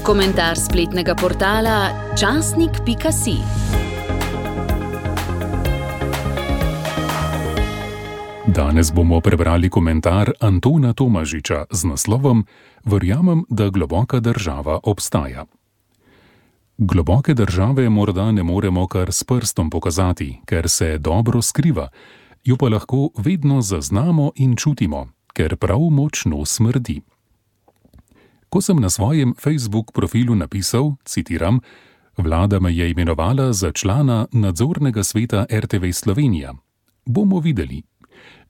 Komentar spletnega portala časnik.si. Danes bomo prebrali komentar Antona Tomažiča z naslovom Verjamem, da globoka država obstaja. Globoke države morda ne moremo kar s prstom pokazati, ker se dobro skriva, jo pa lahko vedno zaznamo in čutimo, ker prav močno smrdi. Ko sem na svojem Facebook profilu napisal, citiram, vlada me je imenovala za člana nadzornega sveta RTV Slovenija. Bomo videli.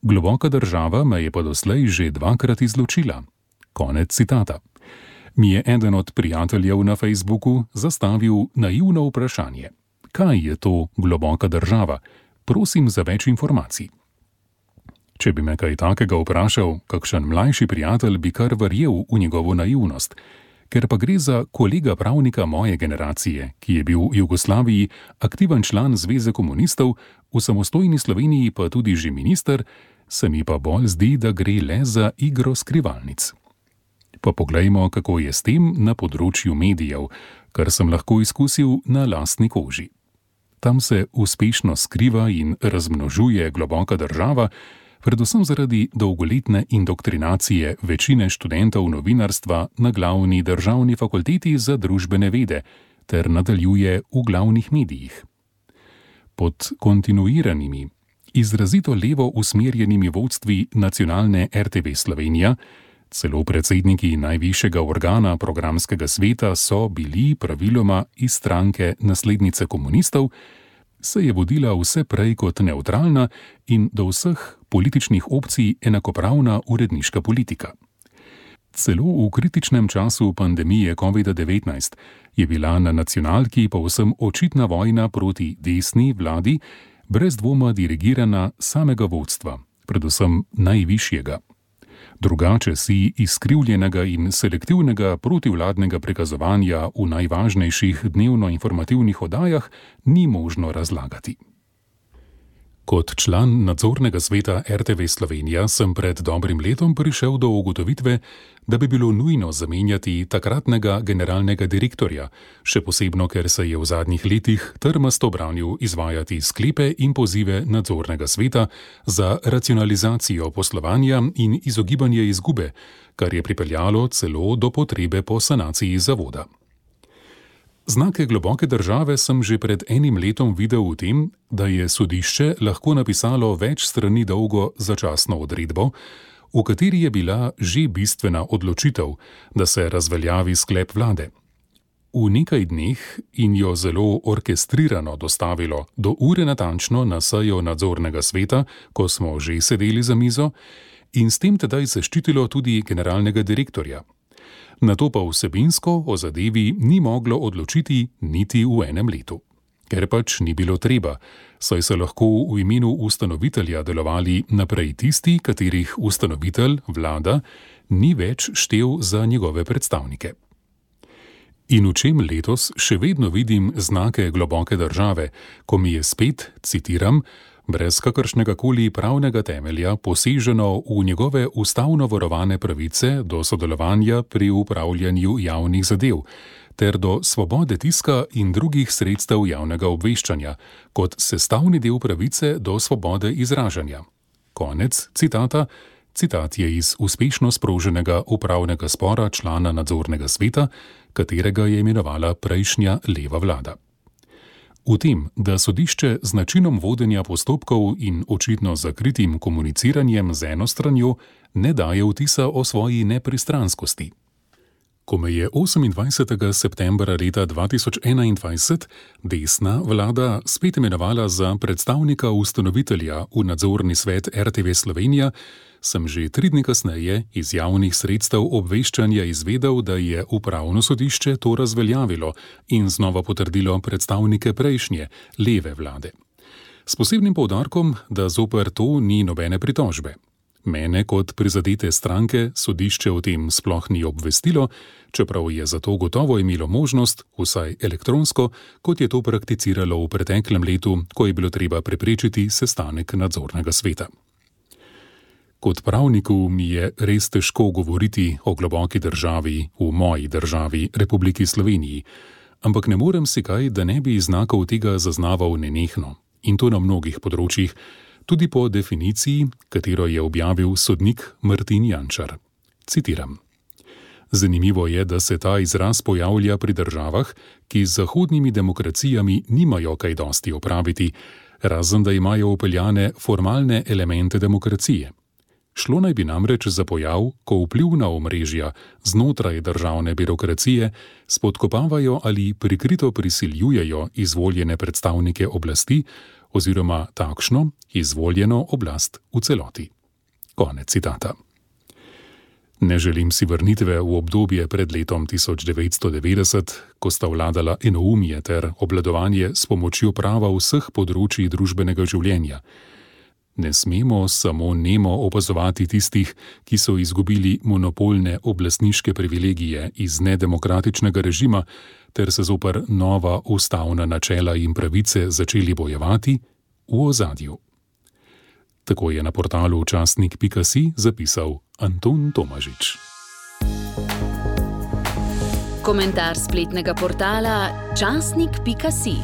Globoka država me je pa doslej že 2-krat izločila. Konec citata. Mi je eden od prijateljev na Facebooku zastavil naivno vprašanje. Kaj je to globoka država? Prosim za več informacij. Če bi me kaj takega vprašal, kakšen mlajši prijatelj bi kar verjel v njegovo naivnost, ker pa gre za kolega pravnika moje generacije, ki je bil v Jugoslaviji aktiven član Zveze komunistov, v samostojni Sloveniji pa tudi že minister, se mi pa bolj zdi, da gre le za igro skrivalnic. Pa poglejmo, kako je s tem na področju medijev, kar sem lahko izkusil na lastni koži. Tam se uspešno skriva in razmnožuje globoka država, predvsem zaradi dolgoletne indoktrinacije večine študentov novinarstva na glavni državni fakulteti za družbene vede ter nadaljuje v glavnih medijih. Pod kontinuiranimi, izrazito levo usmerjenimi vodstvi nacionalne RTV Slovenija, celo predsedniki najvišjega organa programskega sveta so bili praviloma iz stranke naslednice komunistov, se je vodila vse prej kot nevtralna in do vseh političnih opcij enakopravna uredniška politika. Celo v kritičnem času pandemije COVID-19 je bila na nacionalki povsem očitna vojna proti desni vladi, brez dvoma dirigirana samega vodstva, predvsem najvišjega. Drugače si izkrivljenega in selektivnega protivladnega prikazovanja v najvažnejših dnevno-informativnih oddajah ni možno razlagati. Kot član nadzornega sveta RTV Slovenija sem pred dobrim letom prišel do ugotovitve, da bi bilo nujno zamenjati takratnega generalnega direktorja, še posebno, ker se je v zadnjih letih trmasto branil izvajati sklepe in pozive nadzornega sveta za racionalizacijo poslovanja in izogibanje izgube, kar je pripeljalo celo do potrebe po sanaciji zavoda. Znake globoke države sem že pred enim letom videl v tem, da je sodišče lahko napisalo več strani dolgo začasno odredbo, v kateri je bila že bistvena odločitev, da se razveljavi sklep vlade. V nekaj dneh in jo zelo orkestrirano dostavilo do ure natančno na sejo nadzornega sveta, ko smo že sedeli za mizo, in s tem tedaj zaščitilo tudi generalnega direktorja. Nato pa vsebinsko o zadevi ni moglo odločiti niti v enem letu. Ker pač ni bilo treba, saj so lahko v imenu ustanovitelja delovali naprej tisti, katerih ustanovitelj, vlada, ni več štel za njegove predstavnike. In v čem letos še vedno vidim znake globoke države, ko mi je spet, citiram, brez kakršnega koli pravnega temelja poseženo v njegove ustavno varovane pravice do sodelovanja pri upravljanju javnih zadev, ter do svobode tiska in drugih sredstev javnega obveščanja, kot sestavni del pravice do svobode izražanja. Konec citata. Citat je iz uspešno sproženega upravnega spora člana nadzornega sveta, katerega je imenovala prejšnja leva vlada. V tem, da sodišče z načinom vodenja postopkov in očitno zakritim komuniciranjem z eno stranjo ne daje vtisa o svoji nepristranskosti. Ko me je 28. septembra leta 2021 desna vlada spet imenovala za predstavnika ustanovitelja v nadzorni svet RTV Slovenija, sem že 3 dni kasneje iz javnih sredstev obveščanja izvedel, da je upravno sodišče to razveljavilo in znova potrdilo predstavnike prejšnje, leve vlade. S posebnim poudarkom, da zoper to ni nobene pritožbe. Mene kot prizadete stranke sodišče o tem sploh ni obvestilo, čeprav je zato gotovo imelo možnost, vsaj elektronsko, kot je to prakticiralo v preteklem letu, ko je bilo treba preprečiti sestanek nadzornega sveta. Kot pravniku mi je res težko govoriti o globoki državi v moji državi, Republiki Sloveniji, ampak ne morem si kaj, da ne bi znakov tega zaznaval nenehno. In to na mnogih področjih, tudi po definiciji, katero je objavil sodnik Martin Jančar. Citiram. Zanimivo je, da se ta izraz pojavlja pri državah, ki z zahodnimi demokracijami nimajo kaj dosti opraviti, razen da imajo upeljane formalne elemente demokracije. Šlo naj bi namreč za pojav, ko vplivna omrežja znotraj državne birokracije spodkopavajo ali prikrito prisiljujejo izvoljene predstavnike oblasti oziroma takšno izvoljeno oblast v celoti. Konec citata. Ne želim si vrnitve v obdobje pred letom 1990, ko sta vladala enoumje ter obvladovanje s pomočjo prava vseh področij družbenega življenja. Ne smemo samo nemo opazovati tistih, ki so izgubili monopolne oblastniške privilegije iz nedemokratičnega režima ter se zoper nova ustavna načela in pravice začeli bojevati v ozadju. Tako je na portalu časnik.si zapisal Anton Tomažič. Komentar spletnega portala časnik.si.